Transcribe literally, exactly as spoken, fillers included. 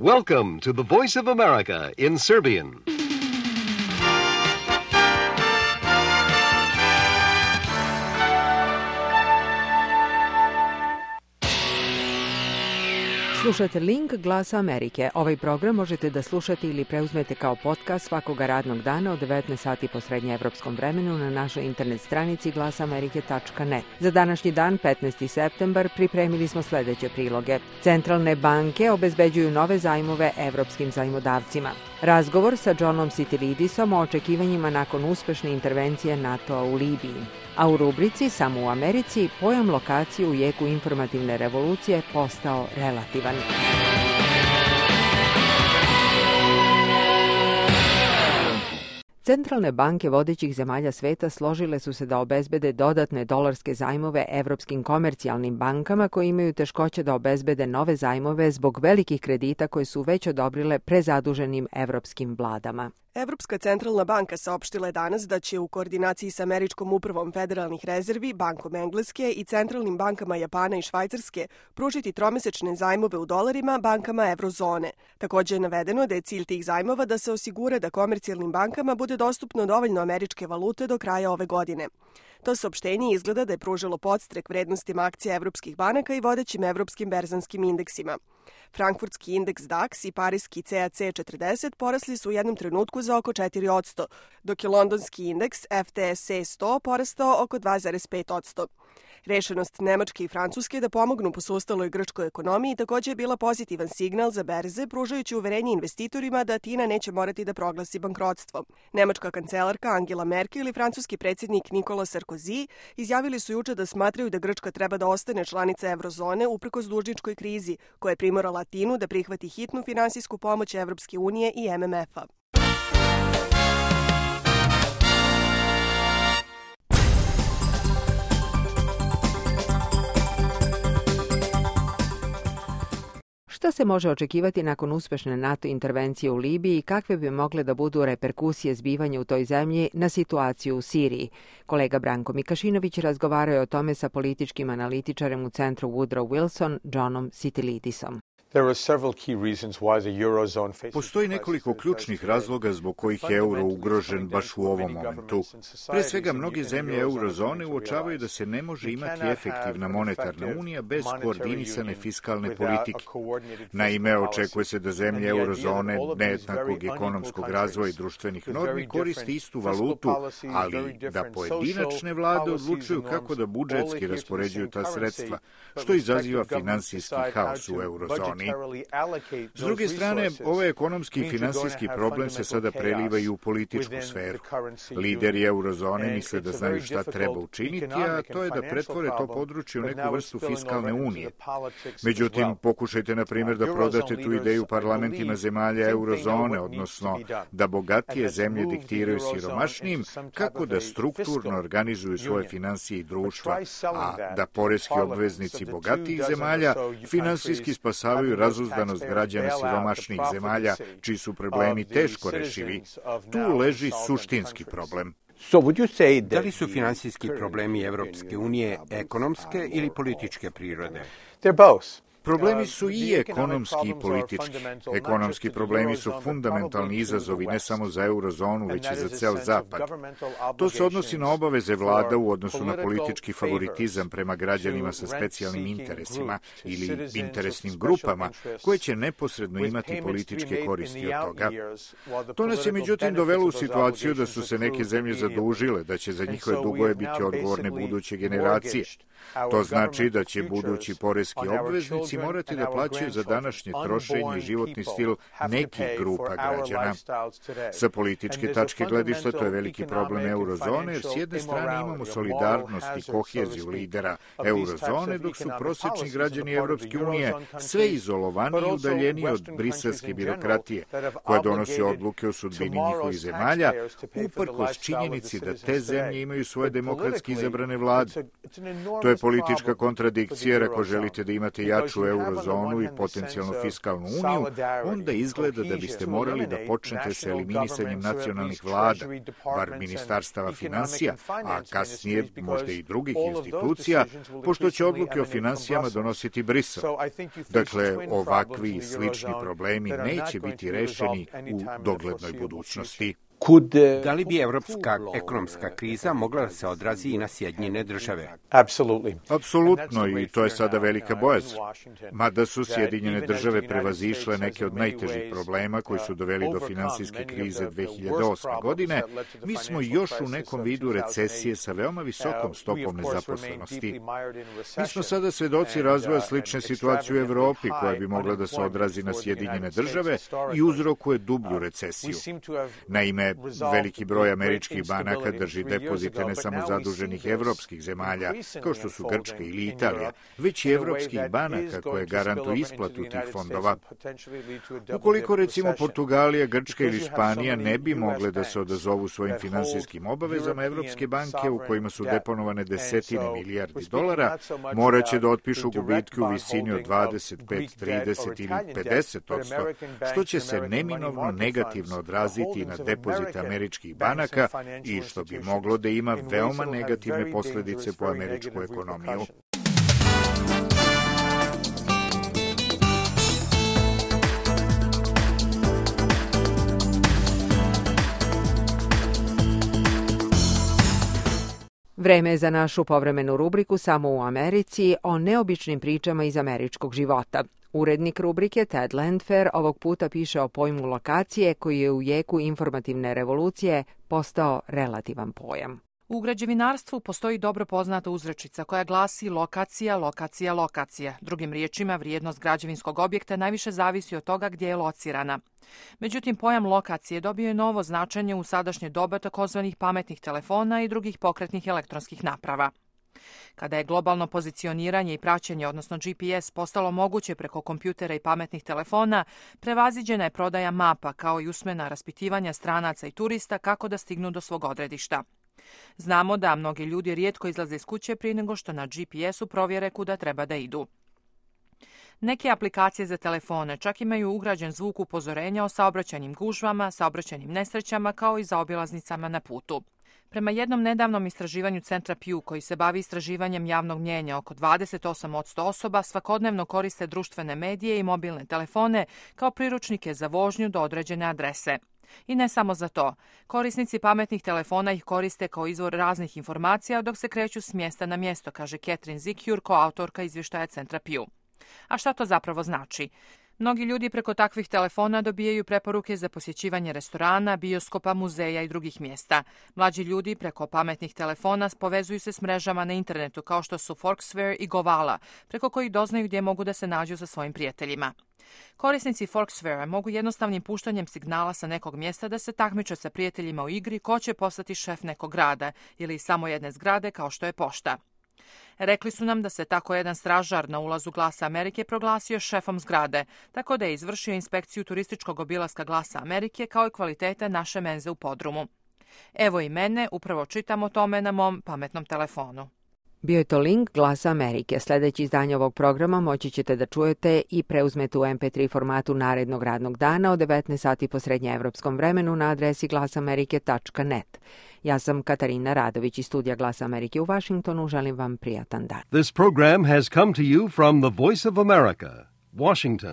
Welcome to the Voice of America in Serbian. Slušate Link Glasa Amerike. Ovaj program možete da slušate ili preuzmete kao podcast svakoga radnog dana od devetnaest sati po srednjeevropskom vremenu na našoj internet stranici glasamerike tačka net. Za današnji dan, petnaesti septembar, pripremili smo sledeće priloge. Centralne banke obezbeđuju nove zajmove evropskim zajmodavcima. Razgovor sa Johnom Sitilidisom o očekivanjima nakon uspešne intervencije NATO-a u Libiji. A u rubrici Samo u Americi pojam lokacije u jeku informativne revolucije postao relativan. Centralne banke vodećih zemalja sveta složile su se da obezbede dodatne dolarske zajmove evropskim komercijalnim bankama koji imaju teškoće da obezbede nove zajmove zbog velikih kredita koje su već odobrile prezaduženim evropskim vladama. Evropska centralna banka saopštila je danas da će u koordinaciji sa Američkom upravom federalnih rezervi, Bankom Engleske i centralnim bankama Japana i Švajcarske pružiti tromesečne zajmove u dolarima bankama evrozone. Takođe je navedeno da je cilj tih zajmova da se osigura da komercijalnim bankama bude dostupno dovoljno američke valute do kraja ove godine. To saopštenje izgleda da je pružilo podstrek vrednostima akcija evropskih banaka i vodećim evropskim berzanskim indeksima. Frankfurtski indeks D A X i pariski C A C četrdeset porasli su u jednom trenutku za oko četiri posto, dok je londonski indeks F T S E sto porastao oko dva zarez pet posto. Rešenost Nemačke i Francuske da pomognu posustaloj grčkoj ekonomiji takođe je bila pozitivan signal za berze, pružajući uverenje investitorima da Atina neće morati da proglasi bankrotstvo. Nemačka kancelarka Angela Merkel i francuski predsjednik Nicolas Sarkozy izjavili su juče da smatraju da Grčka treba da ostane članica evrozone uprkos dužničkoj krizi, koja je primorala Atinu da prihvati hitnu finansijsku pomoć Evropske unije i M M F-a. Šta se može očekivati nakon uspešne NATO intervencije u Libiji i kakve bi mogle da budu reperkusije zbivanja u toj zemlji na situaciju u Siriji? Kolega Branko Mikašinović razgovarao je o tome sa političkim analitičarem u centru Woodrow Wilson, Johnom Sitilidisom. Postoji nekoliko ključnih razloga zbog kojih je euro ugrožen baš u ovom momentu. Pre svega, mnoge zemlje eurozone uočavaju da se ne može imati efektivna monetarna unija bez koordinisane fiskalne politike. Naime, očekuje se da zemlje eurozone nejednakog ekonomskog razvoja i društvenih normi koriste istu valutu, ali da pojedinačne vlade odlučuju kako da budžetski raspoređuju ta sredstva, što izaziva finansijski haos u eurozoni. S druge strane, ovaj ekonomski i finansijski problem se sada preliva i u političku sferu. Lideri eurozone misle da znaju šta treba učiniti, a to je da pretvore to područje u neku vrstu fiskalne unije. Međutim, pokušajte, na primjer, da prodate tu ideju parlamentima zemalja eurozone, odnosno da bogatije zemlje diktiraju siromašnijim kako da strukturno organizuju svoje finansije i društva, a da poreski obveznici bogatijih zemalja finansijski spasavaju razuzdanost građana siromašnih zemalja, čiji su problemi teško rešivi. Tu leži suštinski problem. Da li su finansijski problemi Evropske unije ekonomske ili političke prirode? Problemi su i ekonomski i politički. Ekonomski problemi su fundamentalni izazovi ne samo za eurozonu, već i za ceo Zapad. To se odnosi na obaveze vlada u odnosu na politički favoritizam prema građanima sa specijalnim interesima ili interesnim grupama koje će neposredno imati političke koristi od toga. To nas je međutim dovelo u situaciju da su se neke zemlje zadužile, da će za njihove dugove biti odgovorne buduće generacije. To znači da će budući poreski obveznici morati da plaćaju za današnje trošenje i životni stil nekih grupa građana. Sa političke tačke gledišta to je veliki problem eurozone, jer s jedne strane imamo solidarnost i koheziju lidera eurozone, dok su prosečni građani Evropske unije sve izolovaniji i udaljeniji od briselske birokratije, koja donosi odluke o sudbini njihovih zemalja, uprkos činjenici da te zemlje imaju svoje demokratski izabrane vlade. To je politička kontradikcija, jer ako želite da imate jaču u eurozonu i potencijalno fiskalnu uniju, onda izgleda da biste morali da počnete sa eliminisanjem nacionalnih vlada, bar ministarstava finansija, a kasnije možda i drugih institucija, pošto će odluke o finansijama donositi Brisel. Dakle, ovakvi i slični problemi neće biti rešeni u doglednoj budućnosti. Da li bi evropska ekonomska kriza mogla da se odrazi i na Sjedinjene države? Apsolutno, i to je sada velika bojazan. Mada su Sjedinjene države prevazišle neke od najtežih problema koji su doveli do finansijske krize dve hiljade osme. godine, mi smo još u nekom vidu recesije sa veoma visokom stopom nezaposlenosti. Mi smo sada svedoci razvoja slične situacije u Evropi, koja bi mogla da se odrazi na Sjedinjene države i uzrokuje dublju recesiju. Naime, veliki broj američkih banaka drži depozite ne samo zaduženih evropskih zemalja, kao što su Grčka ili Italija, već i evropskih banaka koje garantuju isplatu tih fondova. Ukoliko recimo Portugalija, Grčka ili Španija ne bi mogle da se odazovu svojim finansijskim obavezama, evropske banke u kojima su deponovane desetine milijardi dolara, moraće da otpišu gubitke u visini od dvadeset pet, trideset ili pedeset odsto, što će se neminovno negativno odraziti na depozite američkih banaka i što bi moglo da ima veoma negativne posledice po američku ekonomiju. Vreme je za našu povremenu rubriku Samo u Americi o neobičnim pričama iz američkog života. Urednik rubrike Ted Landfair ovog puta piše o pojmu lokacije koji je u jeku informativne revolucije postao relativan pojam. U građevinarstvu postoji dobro poznata uzrečica koja glasi lokacija, lokacija, lokacija. Drugim riječima, vrijednost građevinskog objekta najviše zavisi od toga gdje je locirana. Međutim, pojam lokacije dobio je novo značenje u sadašnje doba takozvanih pametnih telefona i drugih pokretnih elektronskih naprava. Kada je globalno pozicioniranje i praćenje, odnosno G P S, postalo moguće preko kompjutera i pametnih telefona, prevaziđena je prodaja mapa kao i usmena raspitivanja stranaca i turista kako da stignu do svog odredišta. Znamo da mnogi ljudi rijetko izlaze iz kuće prije nego što na G P S-u provjere kuda treba da idu. Neke aplikacije za telefone čak imaju ugrađen zvuk upozorenja o saobraćajnim gužvama, saobraćajnim nesrećama kao i zaobilaznicama na putu. Prema jednom nedavnom istraživanju centra Pew koji se bavi istraživanjem javnog mnijenja, oko dvadeset osam posto osoba svakodnevno koriste društvene medije i mobilne telefone kao priručnike za vožnju do određene adrese. I ne samo za to. Korisnici pametnih telefona ih koriste kao izvor raznih informacija dok se kreću s mjesta na mjesto, kaže Catherine Zicure, koautorka izvještaja centra Pew. A šta to zapravo znači? Mnogi ljudi preko takvih telefona dobijaju preporuke za posjećivanje restorana, bioskopa, muzeja i drugih mjesta. Mlađi ljudi preko pametnih telefona povezuju se s mrežama na internetu kao što su Foursquare i Govala, preko kojih doznaju gdje mogu da se nađu sa svojim prijateljima. Korisnici Foursquare mogu jednostavnim puštanjem signala sa nekog mjesta da se takmiče sa prijateljima u igri ko će postati šef nekog grada ili samo jedne zgrade kao što je pošta. Rekli su nam da se tako jedan stražar na ulazu Glasa Amerike proglasio šefom zgrade, tako da je izvršio inspekciju turističkog obilaska Glasa Amerike kao i kvalitete naše menze u podrumu. Evo i mene, upravo čitam o tome na mom pametnom telefonu. Bio je to link Glasa Amerike. Sljedeći izdanje ovog programa moći ćete da čujete i preuzmete u em pe tri formatu narednog radnog dana od devetnaest sati po srednjeevropskom vremenu na adresi glasamerike tačka net. Ja sam Katarina Radović iz studija Glasa Amerike u Vašingtonu. Želim vam prijatan dan. This program has come to you from the Voice of America, Washington.